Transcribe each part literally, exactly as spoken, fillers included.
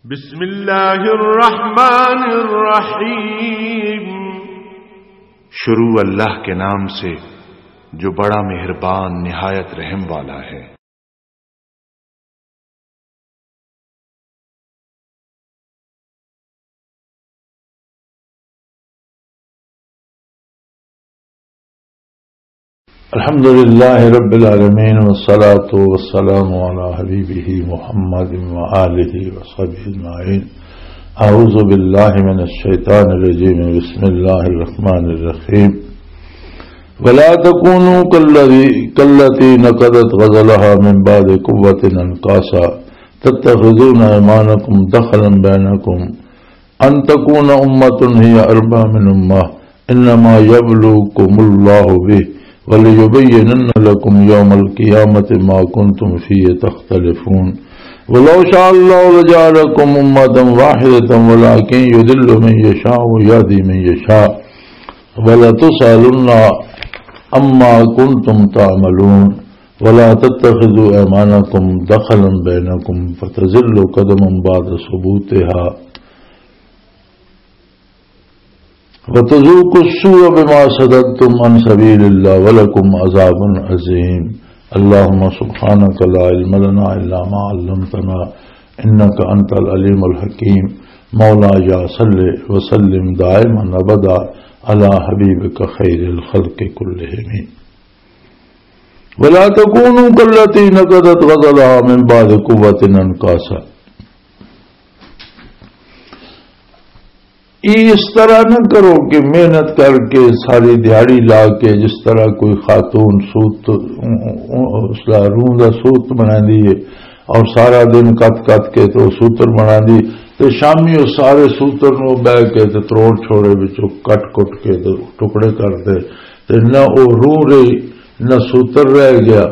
بسم اللہ الرحمن الرحیم۔ شروع اللہ کے نام سے جو بڑا مہربان نہایت رحم والا ہے۔ الحمد لله رب العالمين، والصلاة والسلام على حبيبه محمد وآله وصحبه أجمعين. أعوذ بالله من الشيطان الرجيم. بسم الله الرحمن الرحيم. ولا تكونوا كالذي، كالتي نقضت غزلها من بعد قوة أنكاسا، تتخذون أيمانكم دخلا بينكم، أن تكون أمة هي أربى من أمة، إنما يبلوكم الله به، وليبينن لكم يوم القيامة ما كنتم فيه تختلفون. ولو شاء الله لجعلكم أمة واحدة، ولكن يضل من يشاء ويهدي من يشاء، ولتسألن عما كنتم تعملون. ولا تتخذوا أيمانكم دخلا بينكم فتزل قدم بعد ثبوتها، وتذوقوا السوء بما صددتم عن سبيل الله ولكم عذاب عظيم. اللهم سبحانك لا علم لنا إلا ما علمتنا إنك أنت العليم الحكيم. مولاي صل وسلم دائما أبدا على حبيبك خير الخلق كلهم. ولا تكونوا كالتي نقضت غزلها من بعد قوة أنكاسا۔ یہ اس طرح نہ کرو کہ محنت کر کے، ساری دیہاڑی لا کے، جس طرح کوئی خاتون سوت، اس دا روح دا سوت بنا دیے اور سارا دن کت کت کے تو سوتر بنا دی، تے شامی او سارے سوتر نو بہ کے تے تروڑ چھوڑے وچوں کٹ کٹ کے تے ٹکڑے کر دے، تے نہ او روح رہی، نہ سوتر رہ گیا،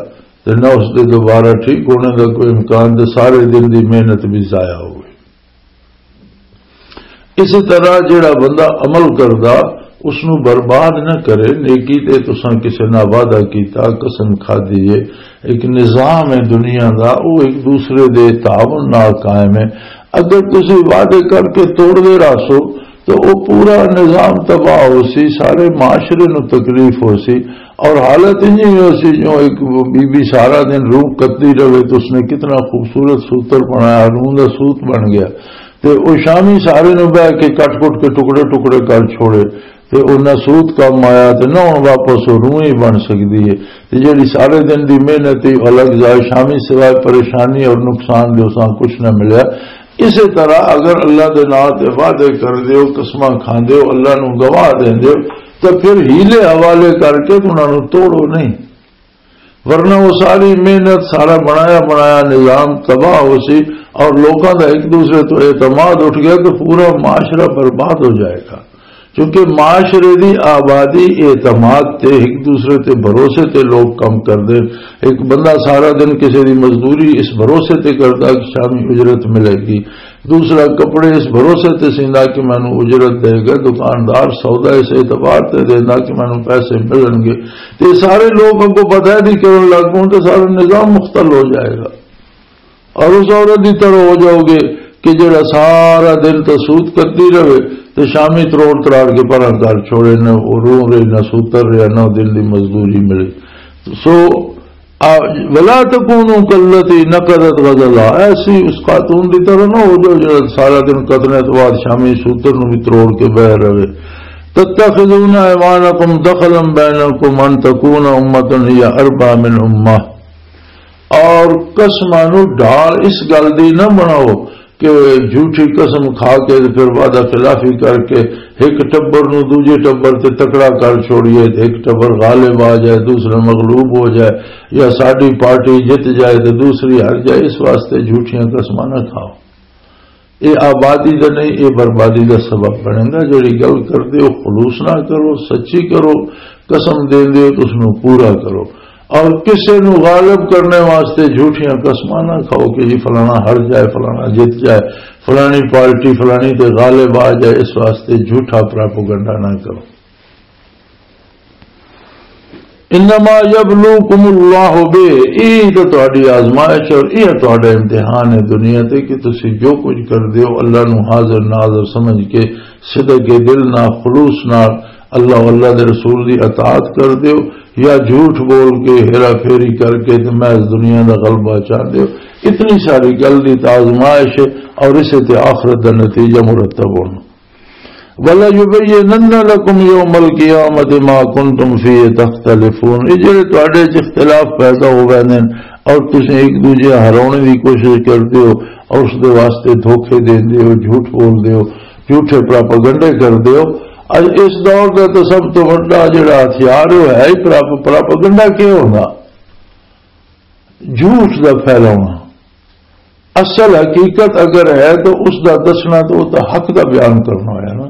تے نہ اس دے دوبارہ ٹھیک ہونے دا کوئی امکان، تے سارے دن دی محنت بھی ضائع ہو گئی۔ اسی طرح جڑا بندہ عمل کردا، اس نو برباد نہ کرے۔ نیکی تے تساں کسے نال وعدہ کیتا، قسم کھادی ہے، ایک نظام ہے دنیا دا، او ایک دوسرے دے تعاون نال قائم ہے۔ اگر تسی وعدے کر کے توڑ دے رہسو تو او پورا نظام تباہ ہو سی، سارے معاشرے نو تکلیف ہو سی، اور حالت انجی ہو سی جو ایک بی بی سارا دن روح کتدی رہے تو اس نے کتنا خوبصورت سوتر بنایا، روح دا سوت بن گیا۔ تے او شامی سارے نو بہ کے کٹ کٹ کے ٹکڑے ٹکڑے کر چھوڑے، تے او نہ سوت کم آیا تے نہ ہن واپس او روح ہی بن سکدی ہے۔ تے جڑی سارے دن دی محنت ہی الگ جائے، شامی سوائے پریشانی اور نقصان دے اساں کچھ نہ ملیا۔ اسی طرح اگر اللہ دے نام تے وعدے کر دیو، قسماں کھاندے ہو، اللہ نو گواہ دیندے ہو، تے پھر حیلے حوالے کر کے انہاں نو توڑو نہیں، ورنہ وہ ساری محنت، سارا بنایا بنایا نظام تباہ ہو سی، اور لوکاں دا ایک دوسرے تو اعتماد اٹھ گیا تو پورا معاشرہ برباد ہو جائے گا۔ کیونکہ معاشرے دی آبادی اعتماد تے، ایک دوسرے تے بھروسے تے لوگ کم کردے۔ ایک بندہ سارا دن کسی دی مزدوری اس بھروسے تے کردا کہ شامی اجرت ملے گی، دوسرا کپڑے اس بھروسے تے سیندا کہ مینوں اجرت دے گا، دکاندار سودا اس اعتبار تے دیندا کہ مینوں پیسے ملن گے۔ تے سارے لوگ اگوں پتہ نہیں کرن لگ پون تے سارا نظام مختل ہو جائے گا۔ اور اس عورت دی طرح ہو جاؤ گے کہ جڑا سارا دن تے سوت کرتی رہے تے شامی تروڑ تراڑ کے پرا گھر چھوڑے، نہ وہ رو رہے، نہ سوتر رہے، نہ دن دی مزدوری ملی۔ سو، آ، ولا تکونوا کالتی نقضت غزلها، ایسی اس خاتون دی طرح نہ ہو جاؤ جڑا سارا دن کتنے تو بعد شامی سوتر نو بھی تروڑ کے بہ رہے۔ تتخذون ایمانکم دخلا بینکم ان تکون امۃ ہی اربا من امہ۔ اور قسماں نو ڈھال اس گل دی نہ بناؤ کہ جھوٹی قسم کھا کے تے پھر وعدہ خلافی کر کے ایک ٹبر نو دوجے ٹبر تے تکڑا کر چھوڑیے، تے ایک ٹبر غالب آ جائے، دوسرا مغلوب ہو جائے، یا ساڈی پارٹی جت جائے تے دوسری ہار جائے۔ اس واسطے جھوٹیاں قسماں نہ کھاؤ۔ اے آبادی دا نہیں، اے بربادی دا سبب بنے گا۔ جڑی گل کردے ہو، خلوص نہ کرو، سچی کرو، قسم دیندے ہو تو اس نو پورا کرو۔ اور کسے نو غالب کرنے واسطے جھوٹیاں قسماں نہ کھاؤ کہ جی فلانا ہار جائے، فلانا جت جائے، فلانی پارٹی فلانی تے غالب آ جائے، اس واسطے جھوٹا پراپوگنڈا نہ کرو۔ انما یبلوکم اللہ بہ، یہ تو تہاڈی آزمائش اور یہ تہاڈا امتحان ہے دنیا تے، کہ تسی جو کچھ کردے ہو اللہ نو حاضر ناظر سمجھ کے، صدق دل نال، خلوص نال اللہ، اللہ دے رسول دی اطاعت کردے ہو، یا جھوٹ بول کے، ہیرا پھیری کر کے تے محض دنیا دا غلبہ چاہندے ہو۔ اتنی ساری گل دی تو آزمائش ہے، اور اسے تے آخرت دا نتیجہ مرتب ہونا۔ وَلَيُبَيِّنَنَّ لَكُمْ يَوْمَ الْقِيَامَةِ مَا كُنتُمْ فِيهِ تَخْتَلِفُونَ۔ یہ جڑے تواڈے وچ اختلاف پیدا ہو گئے نے اور تسیں ایک دوجے ہرانے دی کوشش کردے ہو اور اس دے واسطے دھوکے دیندے ہو، جھوٹ بولدے ہو، جھوٹے پراپاگنڈے کردے ہو۔ اج اس دور دا تو سب تو وڈا جڑا ہتھیار ہے، وہ ہے ہی پراپ-، پراپاگنڈا۔ کیا ہونا؟ جھوٹ دا پھیلاؤنا۔ اصل حقیقت اگر ہے تو اس دا دسنا، تو وہ تو حق دا بیان کرنا ہویا نا۔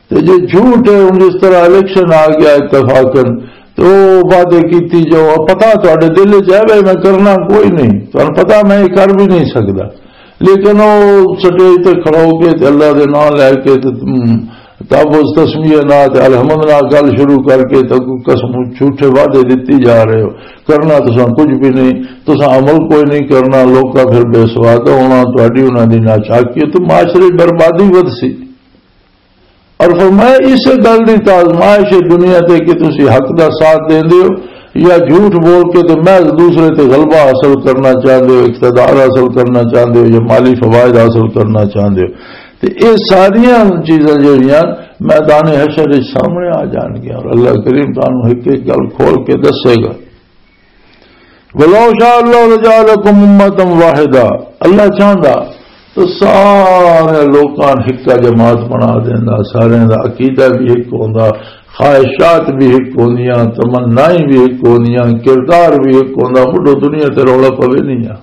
تے جے جھوٹ ہے، ہن جس طرح الیکشن آ گیا اتفاقاً، تو وہ وعدے کیتی جو پتہ تہاڈے دل وچ ہے بھائی میں کرنا کوئی نہیں، تہاڈو پتہ میں یہ کر بھی نہیں سکدا، لیکن وہ سٹیج تے کھڑا ہو کے تے اللہ دے نام لے کے تے، ہم، تب اس تسمیہ نہ تے الحمد نہ گل شروع کر کے تے کوئی قسم جھوٹے وعدے دتی جا رہے ہو، کرنا تساں کچھ بھی نہیں، تساں عمل کوئی نہیں کرنا، لوکاں پھر بے سواد ہونا، تہاڈی انہاں دی ناچاکی تے معاشرے بربادی ودھ سی۔ اور فرمایا، اس گل دی تو آزمائش ہے دنیا تے کہ تسی حق دا ساتھ دیندے ہو یا جھوٹ بول کے تے محض دوسرے تے غلبہ حاصل کرنا چاہندے ہو، اقتدار حاصل کرنا چاہندے ہو یا مالی فوائد حاصل کرنا چاہندے ہو۔ تے اے ساریاں چیزاں جڑیاں میدان حشر وچ سامنے آ جان گیاں اور اللہ کریم تانوں ایک ایک گل کھول کے دسے گا۔ وَلَوْ شَاءَ اللَّهُ لَجَعَلَكُمْ أُمَّةً وَاحِدَةً، اللہ چاہندا تو سارے لوکاں نوں ہکا جماعت بنا دیندا، سارے دا عقیدہ بھی ایک ہوندا، خواہشات بھی ایک ہوندیاں، تمنائیں بھی ایک ہوندیاں، کردار بھی ایک ہوندا، مڈو دنیا تے رولا پوے نہیں آ۔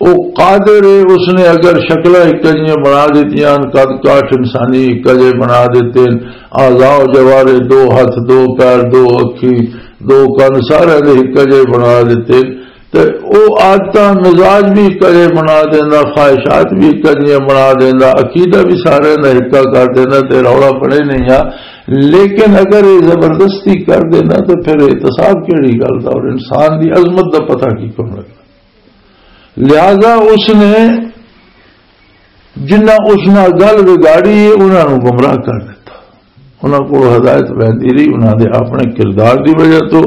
او قادر ہے، اس نے اگر شکلاں ایک جیاں بنا دتیاں، قد کاٹھ انسانی ایک جے بنا دیتے، اعضاء و جوارے، دو ہاتھ، دو پیر، دو اکھی، دو کن، سارے دے ایک جے بنا دیتے۔ تے او عادتاں مزاج بھی ایک جے بنا دیندا، خواہشات بھی ایک جیاں بنا دیندا، عقیدہ بھی سارے دا ایکا کر دیندا، تے رولا پڑے نہیں آ۔ لیکن اگر یہ زبردستی کر دینا تو پھر احتساب کیڑی گل دا اور انسان دی عظمت دا پتہ کی کون لگا؟ لہذا اس نے جنہاں اس نال گل وگاڑی ہے، انہاں نوں گمراہ کر دتا۔ انہاں کول ہدایت وہدی رہی، انہاں دے اپنے کردار دی وجہ تو،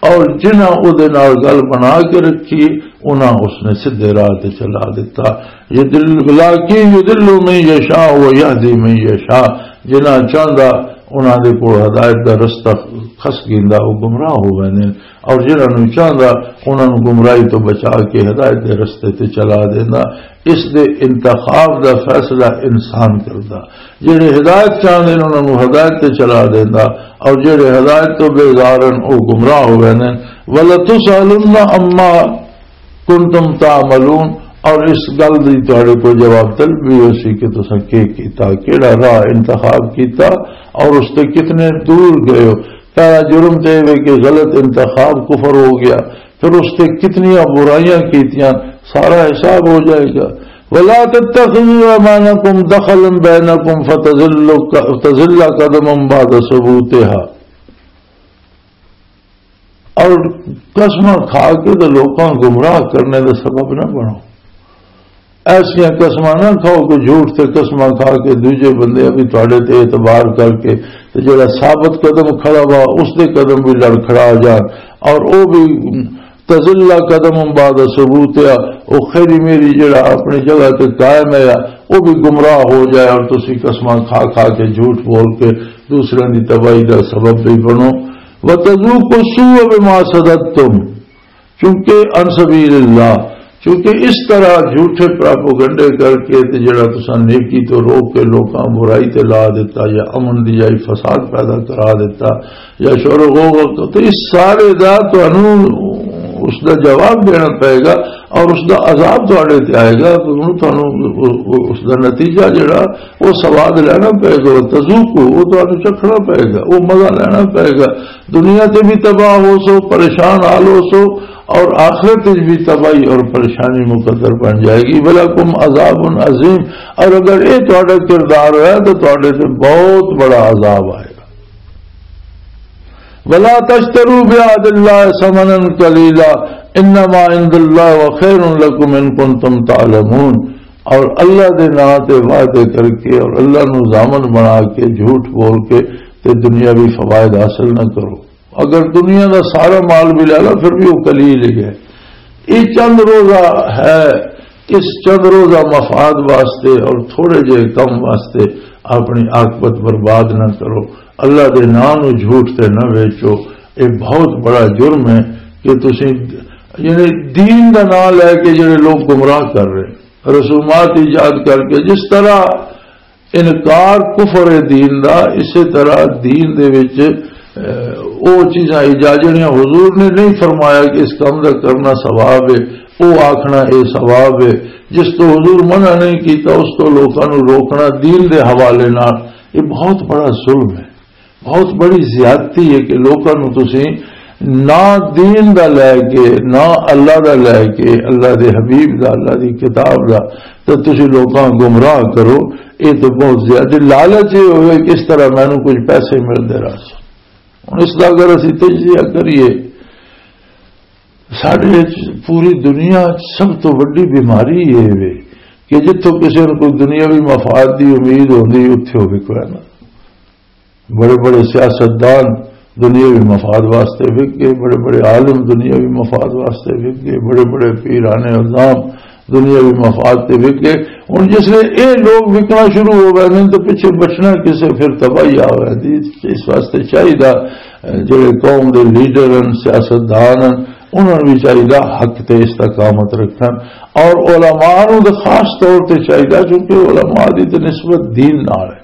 اور جنہاں او دے نال گل بنا کے رکھی، انہاں اس نے سدھے راہ تے چلا دتا۔ یضل، ولکن یضل من یشاء و یہدی من یشاء۔ جنہاں چاہندا، انہاں دے کول ہدایت دا رستہ کھس گیندا، او گمراہ ہو ویندے نے۔ اور جنہاں نوں چاہندا، انہاں نوں گمراہی تو بچا کے ہدایت دے رستے تے چلا دیندا۔ اس دے انتخاب دا فیصلہ انسان کردا۔ جڑے ہدایت چاہندے نے، انہاں نوں ہدایت تے چلا دیندا، اور جڑے ہدایت تو بیزار ہن، او گمراہ ہو ویندے نے۔ وَلَتُسْأَلُنَّ عَمَّا كُنْتُمْ تَعْمَلُونَ، اور اس گل دی تہاڈے کو جواب طلب بھی ہو سی کہ تساں کی کیتا، کیڑا راہ انتخاب کیتا، اور اس تے کتنے دور گئے ہو۔ پہلا جرم تے ایویں کہ غلط انتخاب کفر ہو گیا، پھر اس تے کتنیاں برائیاں کیتیاں، سارا حساب ہو جائے گا۔ وَلَا تَتَّخِذُوا أَيْمَانَكُمْ دَخَلًا بَيْنَكُمْ فَتَزِلَّ ق-، تَزِلَّ قَدَمٌ بَعْدَ ثُبُوتِهَا۔ اور قسماں کھا کے تے لوکاں گمراہ کرنے دا سبب نہ بنو۔ ایسیاں قسماں نہ کھاؤ کہ جھوٹ تے قسماں کھا کے دوجے بندے بھی تہاڈے تے اعتبار کر کے تے جڑا ثابت قدم کھڑا وا، اس دے قدم بھی لڑکھڑا جان، اور او بھی تزل قدم بعد ثبوتها، او خیری میری جڑا اپنی جگہ تے قائم ہے، او بھی گمراہ ہو جائے، اور تسی قسماں کھا کھا کے، جھوٹ بول کے دوسرے دی تباہی دا سبب بھی بنو۔ وَتَذُوقُوا السُّوءَ بِمَا صَدَدتُّمْ، چونکہ عن سبیل اللہ، چونکہ اس طرح جھوٹے پراپوگنڈے کر کے تے جڑا تساں نیکی تو روک کے لوکاں برائی تے لا دیتا، یا امن دی جائی فساد پیدا کرا دیتا، یا شور و غوغا، تو اس سارے دا تانوں اس دا جواب دینا پائے گا، اور اس دا عذاب تہاڈے تے آئے گا۔ تانوں اس دا نتیجہ جڑا، وہ سواد لینا پائے گا، وہ تذوقو، وہ تانوں چکھنا پائے گا، وہ مزہ لینا پائے گا۔ دنیا تے بھی تباہ ہو سو، پریشان حال ہو سو، اور آخرت وچ بھی تباہی اور پریشانی مقدر بن جائے گی۔ وَلَكُمْ عَذَابٌ عَظِيمٌ، اور اگر یہ تہاڈا کردار ہویا تو تہاڈے تے بہت بڑا عذاب آئے گا۔ ولا تشتروا بعهد الله ثمنا قليلا انما عند الله خير لكم ان كنتم تعلمون۔ اور اللہ دے نام تے وعدے کر کے اور اللہ نو ضامن بنا کے، جھوٹ بول کے، تے دنیاوی فوائد حاصل نہ کرو۔ اگر دنیا دا سارا مال بھی لے لو، پھر بھی وہ قلیل ہی ہے۔ یہ چند روزہ ہے، اس چند روزہ مفاد واسطے اور تھوڑے جے کم واسطے اپنی عاقبت برباد نہ کرو۔ اللہ دے نام نو جھوٹ تے نہ ویچو۔ یہ بہت بڑا جرم ہے کہ تسی، یعنی، دین دا نام لے کے جڑے لوگ گمراہ کر رہے، رسومات ایجاد کر کے، جس طرح انکار کفر ہے دین دا، اسی طرح دین دے وچ، اے، او چیزاں ایجاد جڑیاں حضور نے نہیں فرمایا کہ اس کام دا کرنا ثواب ہے، او آکھنا اے ثواب ہے۔ جس تو حضور منع نہیں کیتا، اس تو لوکاں نوں روکنا دین دے حوالے نال، یہ بہت بڑا ظلم ہے، بہت بڑی زیادتی ہے کہ لوکاں نوں تسی نہ دین دا لے کے، نہ اللہ دا لے کے، اللہ دے حبیب دا، اللہ دی کتاب دا، تے تسی لوکاں گمراہ کرو۔ یہ تو بہت زیادہ لالچ یہ ہوئے کہ اس طرح مینوں کچھ پیسے ملدے رہ سن۔ ہن اس دا اگر اسی تجزیہ کریے، ساڈے وچ پوری دنیا وچ سب تو وڈی بیماری یہ وے کہ جتھوں کسی نوں کوئی دنیاوی مفاد دی امید ہوندی، اتھے ہوے کوئی نہ۔ بڑے بڑے سیاستدان دنیاوی مفاد واسطے وک گئے، بڑے بڑے عالم دنیاوی مفاد واسطے وک گئے، بڑے بڑے پیرانے عظام دنیاوی مفاد تے وک گئے۔ ہن جس لے اے لوگ وکنا شروع ہو گئے نے، تو پچھے بچنا کسے، پھر تباہی آ گئی۔ اس واسطے چاہیدا، جڑے قوم دے لیڈر ہن، سیاستدان ہن، انہاں نوں بھی چاہیدا حق تے استقامت رکھن، اور علماء نوں تے خاص طور تے چاہیدا، کیونکہ علماء دی تے نسبت دین نال ہے۔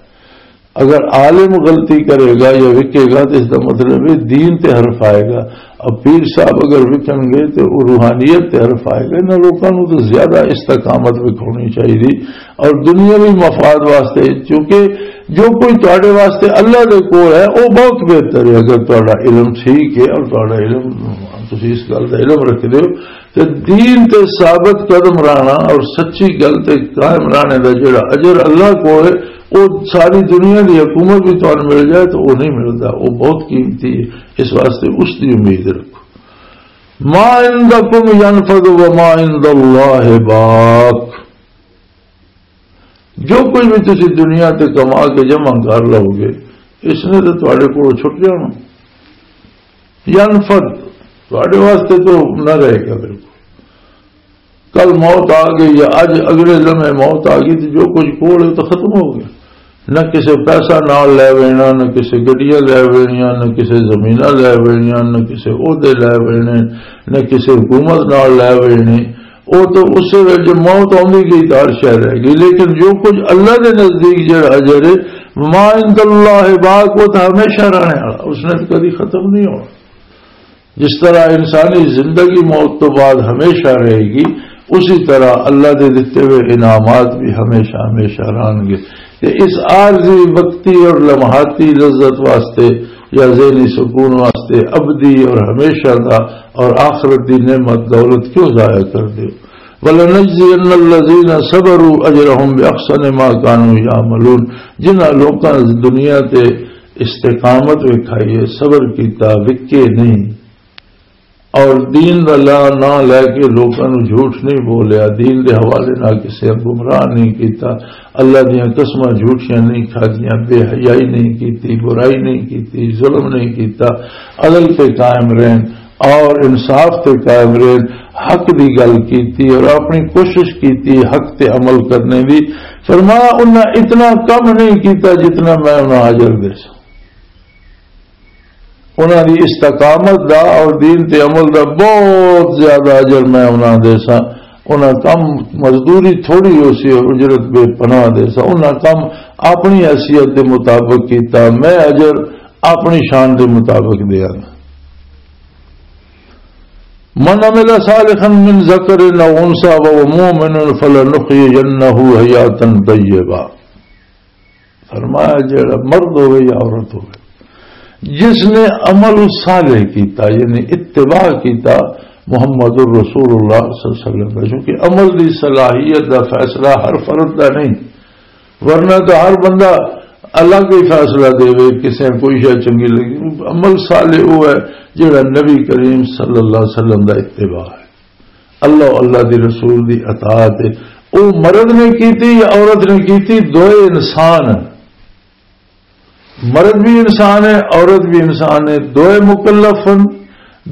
اگر عالم غلطی کرے گا یا وکے گا، تو اس دا مطلب ہے دین تے حرف آئے گا۔ اب پیر صاحب اگر وکن گے تو وہ روحانیت تے حرف آئے گا۔ انہاں لوکاں نوں تو زیادہ استقامت وکھاؤنی چاہیے، اور دنیاوی مفاد واسطے، کیونکہ جو کوئی تواڈے واسطے اللہ دے کول ہے، وہ بہت بہتر ہے۔ اگر تواڈا علم ٹھیک ہے اور تواڈا علم، تسی اس گل دا علم رکھدے ہو، تے دین تے ثابت قدم رہنا اور سچی گل تے قائم رہنے دا جڑا اجر اللہ کول ہے، وہ ساری دنیا دی حکومت بھی تانوں مل جائے تو وہ نہیں ملدا، وہ بہت قیمتی ہے۔ اس واسطے اس دی امید رکھو۔ ما عندکم ينفد وما عند الله باق۔ جو کچھ بھی تسی دنیا تے کما کے جمع کر لو گے، اس نے تو تواڈے کولوں چھٹ جانا۔ ینفد، تواڈے واسطے تو نہ رہے گا بالکل۔ کل موت آ گئی یا اج اگلے لمحے موت آ گئی تو جو کچھ کول ہے تو ختم ہو گیا۔ نہ کسے پیسہ نال لے وینا، نہ کسے گڈیاں لے وینیاں، نہ کسے زمیناں لے وینیاں، نہ کسے عہدے لے وینے، نہ کسے حکومت نال لے وینی۔ وہ تو اس ویلے جو موت آندی گئی تو ہر شے رہ گئی، لیکن جو کچھ اللہ دے نزدیک جڑا اجر ہے، ما عند اللہ باق، وہ تو ہمیشہ رہنے والا، اس نے تو کبھی ختم نہیں ہونا۔ جس طرح انسانی زندگی موت تو بعد ہمیشہ رہے گی، اسی طرح اللہ دے دتے ہوئے انعامات بھی ہمیشہ ہمیشہ رہن گے۔ تے اس عارضی، وقتی اور لمحاتی لذت واسطے یا ذہنی سکون واسطے ابدی اور ہمیشہ دا اور آخرت دی نعمت دولت کیوں ضائع کر دیو؟ وَلَنَجْزِيَنَّ الَّذِينَ صَبَرُوا أَجْرَهُمْ بِأَحْسَنِ مَا كَانُوا يَعْمَلُونَ۔ جنہاں لوکاں دنیا تے استقامت وکھائی ہے، صبر کیتا، وکے نہیں، اور دین دا لا نہ لے کے لوکاں نوں جھوٹ نہیں بولیا، دین دے حوالے نال کسے گمراہ نہیں کیتا، اللہ دیاں قسماں جھوٹیاں نہیں کھادیاں، بے حیائی نہیں کیتی، برائی نہیں کیتی، ظلم نہیں کیتا، عدل تے قائم رہن اور انصاف تے قائم رہن، حق دی گل کیتی اور اپنی کوشش کیتی حق تے عمل کرنے دی۔ فرمایا، انہاں اتنا کم نہیں کیتا جتنا میں انہاں اجر دے سا۔ انہاں دی استقامت دا اور دین تے عمل دا بہت زیادہ اجر میں انہاں دے سا۔ انہاں کم مزدوری تھوڑی ہو سی اور اجرت بے پناہ دے سا۔ انہاں کم اپنی حیثیت دے مطابق کیتا، میں اجر اپنی شان دے مطابق دیا۔ من عمل صالحا من ذکر او انثی وهو مؤمن فلنحیینہ حیاتا طیبہ۔ فرمایا، جڑا مرد ہوئے یا عورت ہوئے، جس نے عمل صالح کیتا، یعنی اتباع کیتا محمد الرسول اللہ صلی اللہ علیہ وسلم کا، چونکہ عمل دی صلاحیت دا فیصلہ ہر فرد دا نہیں، ورنہ تو ہر بندہ الگ ہی فیصلہ دے، کسے کوئی شے چنگی لگی۔ عمل صالح وہ ہے جڑا نبی کریم صلی اللہ علیہ وسلم دا اتباع ہے، اللہ، اللہ دی رسول دی اطاعت ہے۔ وہ مرد نے کیتی یا عورت نے کیتی، دوئے انسان ہیں۔ مرد بھی انسان ہے، عورت بھی انسان ہے، دوئے مکلف ہیں،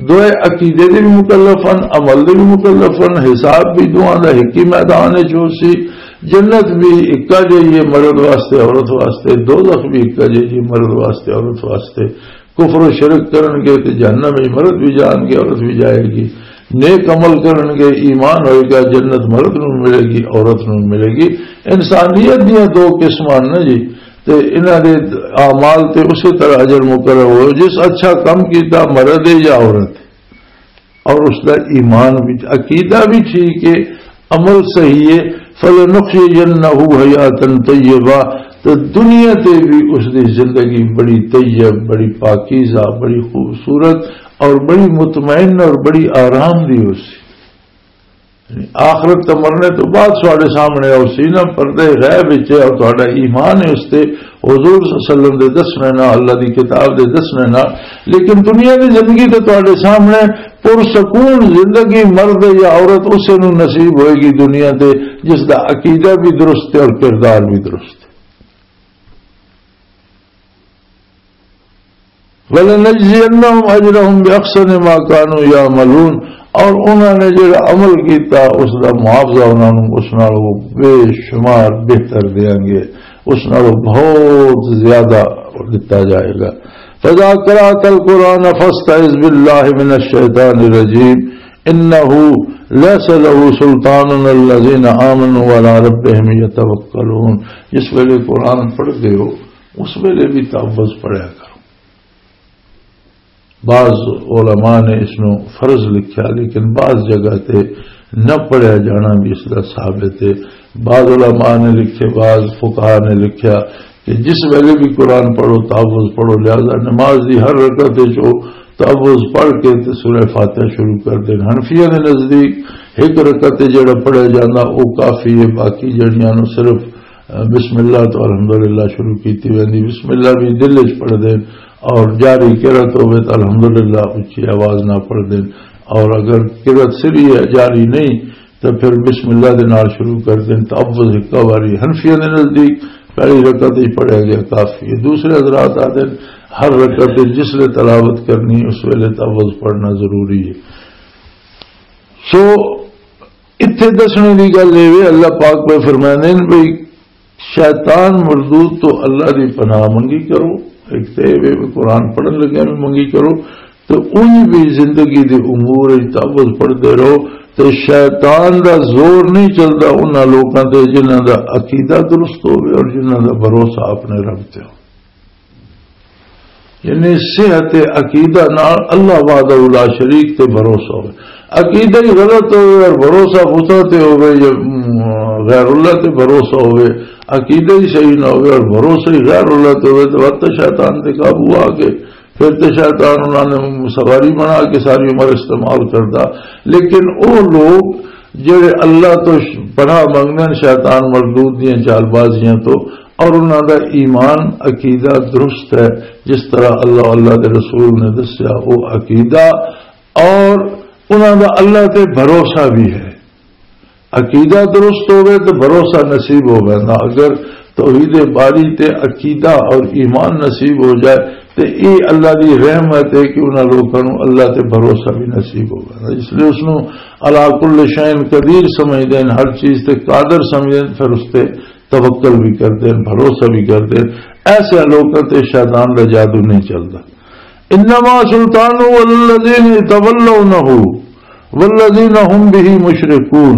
دوئے عقیدے دے بھی مکلف ہیں، عمل دے بھی مکلف ہیں، حساب بھی دوواں دا ایک ہی میدان ہے جو سی۔ جنت بھی اکا جہی ہے، مرد واسطے، عورت واسطے، دوزخ بھی اکا جہی ہے، مرد واسطے، عورت واسطے۔ کفر و شرک کرن گے تے جہنم وچ مرد بھی جان گے، عورت بھی جائے گی۔ نیک عمل کرن گے، ایمان ہوئے گا، جنت مرد نوں ملے گی، عورت نوں ملے گی۔ انسانیت دیاں دو قسماں نے جی، تے انہاں دے اعمال تے اسی طرح اجر مقرر ہو۔ جس اچھا کم کیتا، مرد ہے یا عورت، اور اس دا ایمان بھی، عقیدہ بھی ٹھیک ہے، عمل صحیح ہے، فَلَنُحْيِيَنَّهُ حَيَاةً طَيِّبَةً، تو دنیا تے بھی اس دی زندگی بڑی طیب، بڑی پاکیزہ، بڑی خوبصورت اور بڑی مطمئن اور بڑی آرام دی ہو سی۔ یعنی آخرت تے مرنے تو بعد تہاڈے سامنے او سی نا، پردے غیب وچ ہے، اور تہاڈا ایمان ہے اس تے، حضور صلی اللہ علیہ وسلم دے دسنے نال، اللہ دی کتاب دے دسنے نال۔ لیکن دنیا دی زندگی تے تہاڈے سامنے پرسکون زندگی مرد یا عورت اسے نوں نصیب ہوئے گی دنیا تے، جس دا عقیدہ بھی درست ہے اور کردار بھی درست ہے۔ وَلَنَجْزِيَنَّهُمْ أَجْرَهُمْ بِأَحْسَنِ مَا كَانُوا يَعْمَلُونَ، اور انہاں نے جڑا عمل کیتا، اس دا معاوضہ انہاں نوں اس نالوں بے شمار بہتر دیاں گے، اس نالوں بہت زیادہ دتا جائے گا۔ فَإِذَا قَرَأْتَ الْقُرْآنَ فَاسْتَعِذْ بِاللَّهِ مِنَ الشَّيْطَانِ الرَّجِيمِ، إِنَّهُ لَيْسَ لَهُ سُلْطَانٌ عَلَى الَّذِينَ آمَنُوا وَعَلَى رَبِّهِمْ يَتَوَكَّلُونَ۔ جس ویلے قرآن پڑھدے ہو، اس ویلے بھی تعوذ پڑھیا کرو۔ بعض علماء نے اس نو فرض لکھیا، لیکن بعض جگہ تے نہ پڑھیا جانا بھی اس دا ثابت ہے۔ بعض علماء نے لکھے، بعض فقہا نے لکھیا کہ جس ویلے بھی قرآن پڑھو، تعوذ پڑھو، لہذا نماز دی ہر رکعت وچ او تعوذ پڑھ کے تے سورہ فاتحہ شروع کر دین۔ حنفیہ دے نزدیک ایک رکعت تے جڑا پڑھیا جاندا او کافی ہے، باقی جڑیاں نو صرف بسم اللہ تو الحمدللہ شروع کیتی ویندی۔ بسم اللہ بھی دل وچ پڑھ دین، اور جاری قرات ہوے تو الحمدللہ اچھی آواز نہ پڑھ دین، اور اگر قرات سری ہے، جاری نہیں، تو پھر بسم اللہ دے نال شروع کر دین۔ تعوذ ایک باری حنفیہ دے نزدیک پہلی رکعت ہی پڑھیا گیا کافی ہے۔ دوسرے حضرات آتے ہیں، ہر رکعت وچ جس لے تلاوت کرنی، اس ویلے تعوذ پڑھنا ضروری ہے۔ سو، اتھے دسنے دی گل اے وے، اللہ پاک پہ فرماندے نے بھئی، شیطان مردود تو اللہ دی پناہ منگی کرو۔ ایک تے اے وے، قرآن پڑھن لگے بھی منگی کرو، تو اونی بھی زندگی دے امور وچ تعوذ پڑھدے رہو، تے شیطان دا زور نہیں چلدا انہاں لوکاں تے جنہاں دا عقیدہ درست ہوے اور جنہاں دا بھروسہ اپنے رب تے ہو۔ یعنی صحت عقیدہ نال اللہ وحدہ لا شریک تے بھروسہ ہوے۔ عقیدہ ہی غلط ہوے اور بھروسہ بتاں تے ہوے یا، م، غیر اللہ تے بھروسہ ہوے، عقیدہ ہی صحیح نہ ہوے اور بھروسہ ہی غیر اللہ تے ہوے، تو وقت شیطان تے قابو آ کے پھر تے شیطان انہاں نے سواری بنا کے ساری عمر استعمال کردا۔ لیکن او لوگ جڑے اللہ تو ش-، پناہ منگدے نے شیطان مردود دیاں چال بازیاں تو، اور انہاں دا ایمان عقیدہ درست ہے، جس طرح اللہ، اللہ دے رسول نے دسیا، او عقیدہ اور انہاں دا اللہ تے بھروسہ بھی ہے۔ عقیدہ درست ہوے تو بھروسہ نصیب ہو ویندا۔ اگر توحید باری تے عقیدہ اور ایمان نصیب ہو جائے، تے اے اللہ دی رحمت ہے کہ انہاں لوکاں نوں اللہ تے بھروسہ بھی نصیب ہو ویندا۔ اس لیے اس نوں علی کل شیء قدیر سمجھدے ہیں، ہر چیز تے قادر سمجھدے ہیں، پھر اس تے توکل بھی کردے ہیں، بھروسہ بھی کردے ہیں۔ ایسے لوکاں تے شیطان دا جادو نہیں چلدا۔ انما سلطانہ علی الذین یتولونہ والذین هم به مشرکون،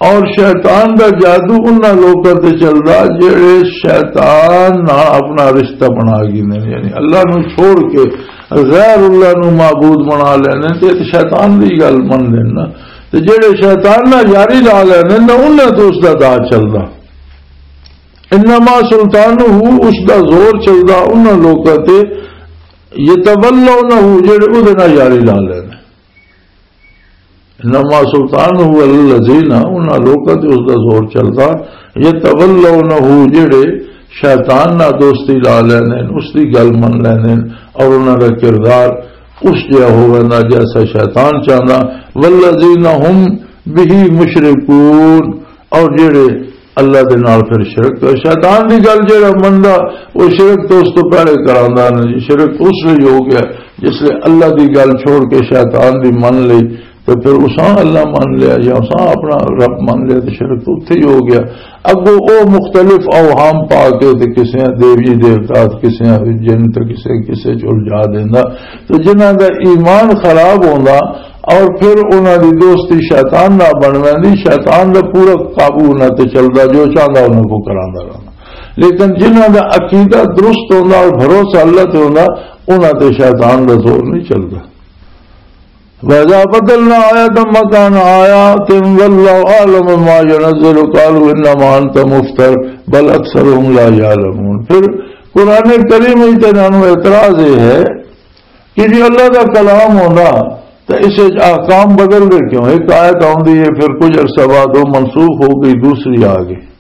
اور شیطان دا جادو انہاں لوکاں تے چلدا جڑے شیطان نال اپنا رشتہ بنا گھندے نے، یعنی اللہ نو چھوڑ کے غیر اللہ نو معبود بنا لینے، تے شیطان دی گل من لینا۔ تے جڑے شیطان نال یاری لا لینے نا، انہاں تے اس دا داج چلدا۔ انما سلطانہ، اس دا زور چلدا انہاں لوکاں تے، یتولونہ، جڑے اودے نال یاری لا لینے۔ انما سلطانہ علی الذین، انہاں لوکاں تے اس دا زور چلدا، یتولونہ، جڑے شیطان نال دوستی لا لیندے نے، اس دی گل من لیندے نے، اور انہاں دا کردار اس جہا ہو ویندا جیسا شیطان چاہندا۔ والذین هم به مشرکون، اور جڑے اللہ دے نال پھر شرک، تو شیطان دی گل جڑا مندا، وہ شرک تو اس تو پہلے کراندا نے۔ شرک اس لیے ہو گیا جس لیے اللہ دی گل چھوڑ کے شیطان دی من لئی، تو پھر اساں اللہ من لیا یا اساں اپنا رب من لیا، تو شرک تو اتھے ہی ہو گیا۔ اگوں او مختلف اوہام پا کے تے کسے دیوی دیوتا، کسے جن، تے کسے کسے چ الجھا دیندا۔ تو جنہاں دا ایمان خراب ہوندا اور پھر انہاں دی دوستی شیطان نال بن ویندی، شیطان دا پورا قابو انہاں تے چلدا، جو چاہندا انہاں کو کراندا رہندا۔ لیکن جنہاں دا عقیدہ درست ہوندا اور بھروسہ اللہ تے ہوندا، انہاں تے شیطان دا زور نہیں چلدا۔ وَإِذَا بَدَّلْنَا آيَةً مَّكَانَ آيَةٍ وَلَّوْا أَعْلَمَ مَا يُنَزِّلُ قَالُوا إِنَّمَا أَنتَ مُفْتَرٍ بَلْ أَكْثَرُهُمْ لَا يَعْلَمُونَ۔ پھر قرآن کریم وچ تے انہاں نوں اعتراض یہ ہے کہ جی اللہ دا کلام ہوندا تے اس وچ احکام بدل دے کیوں؟ ایک آیت آوندی ہے، پھر کچھ عرصہ بعد وہ منسوخ ہو گئی، دوسری آ گئی۔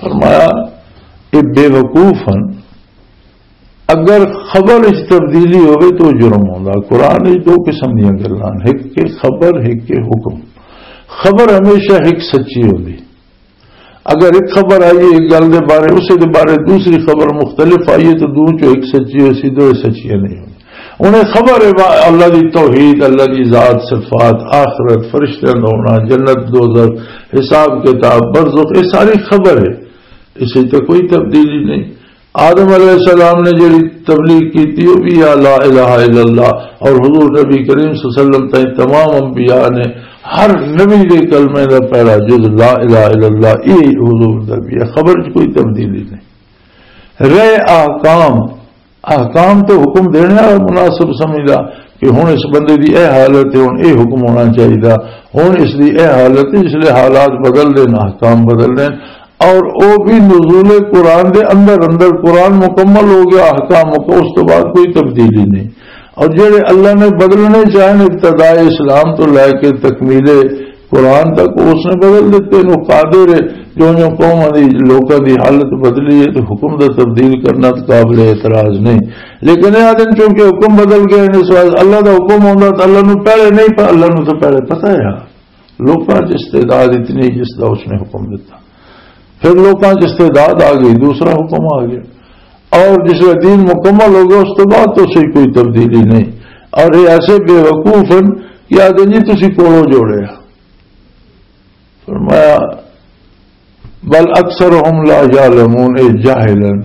فرمایا، یہ بے وقوف ہیں۔ اگر خبر وچ تبدیلی ہوئے تو جرم ہوندا۔ قرآن وچ دو قسم دیاں گلاں، ایک کہ خبر، ایک کہ حکم۔ خبر ہمیشہ ایک سچی ہوندی۔ اگر ایک خبر آئی ہے ایک گل دے بارے، اسے دے بارے دوسری خبر مختلف آئی ہے تو دو چو ایک سچی ہوئی سی، دو سچیاں نہیں ہوئی۔ انہیں خبر ہے وا-، اللہ دی توحید، اللہ دی ذات، صفات، آخرت، فرشتیاں دا ہونا، جنت، دوزخ، حساب کتاب، برزخ، یہ ساری خبر ہے۔ اس وچ تے کوئی تبدیلی نہیں۔ آدم علیہ السلام نے جڑی تبلیغ کی تھی، وہ بھی یا لا الہ الا اللہ، اور حضور نبی کریم صلی اللہ علیہ وسلم تائیں تمام انبیاء نے ہر نبی دے کلمے دا پہلا جز لا الہ الا اللہ، یہ حضور دا بھی ہے، خبر چ کوئی تبدیلی نہیں۔ رہے احکام، احکام تو حکم دینے والا مناسب سمجھدا کہ ہن اس بندے دی اے حالت ہے، ہن اے حکم ہونا چاہیدا، ہن اس دی اے حالت ہے، اس لیے حالات بدل دے، احکام بدل دے۔ اور او بھی نزول قرآن دے اندر اندر، قرآن مکمل ہو گیا، احکام مک-، اس تو بعد کوئی تبدیلی نہیں۔ اور جڑے اللہ نے بدلنے چاہے ابتداء اسلام تو لے کے تکمیل قرآن تک، اس نے بدل دیتے ہیں۔ وہ قادر ہے، جو جو قوم دی، لوکاں دی حالت بدلی ہے تو حکم دا تبدیل کرنا تو قابل اعتراض نہیں۔ لیکن یہ آدمی چونکہ حکم بدل گئے ہیں، اس واسطے اللہ دا حکم ہوندا تو اللہ نو پہلے نہیں پ-، اللہ نو تو پہلے پتہ ہے۔ لوکاں چ استعداد اتنی جس دا اس نے حکم دیتا، پھر لوکاں چ استعداد آ گئی، دوسرا حکم آ گیا، اور جس ویلے دین مکمل ہو گیا، اس تو بعد تو صحیح کوئی تبدیلی نہیں۔ اور یہ ایسے بے وقوف ہیں کہ آدھے جی تسی کوڑو جوڑے۔ فرمایا، بل اکثرهم لا یعلمون، اے جاہل ہیں۔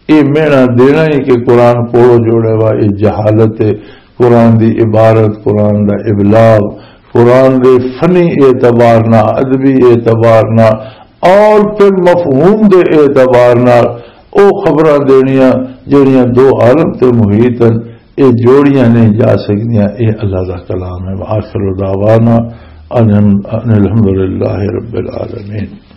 اے مینا دینا ہی کہ قرآن کوڑو جوڑے وا، اے جہالت ہے۔ قرآن دی عبارت، قرآن دا ابلاغ، قرآن دے فنی اعتبار نہ، ادبی اعتبار نہ، اور پھر مفہوم دے اعتبار نال او خبراں دینیاں جڑیاں دو عالم تے محیط ہیں، اے جوڑیاں نہیں جا سکدیاں۔ اے اللہ دا کلام ہے۔ وآخر دعوانا ان، ان الحمدللہ رب العالمین۔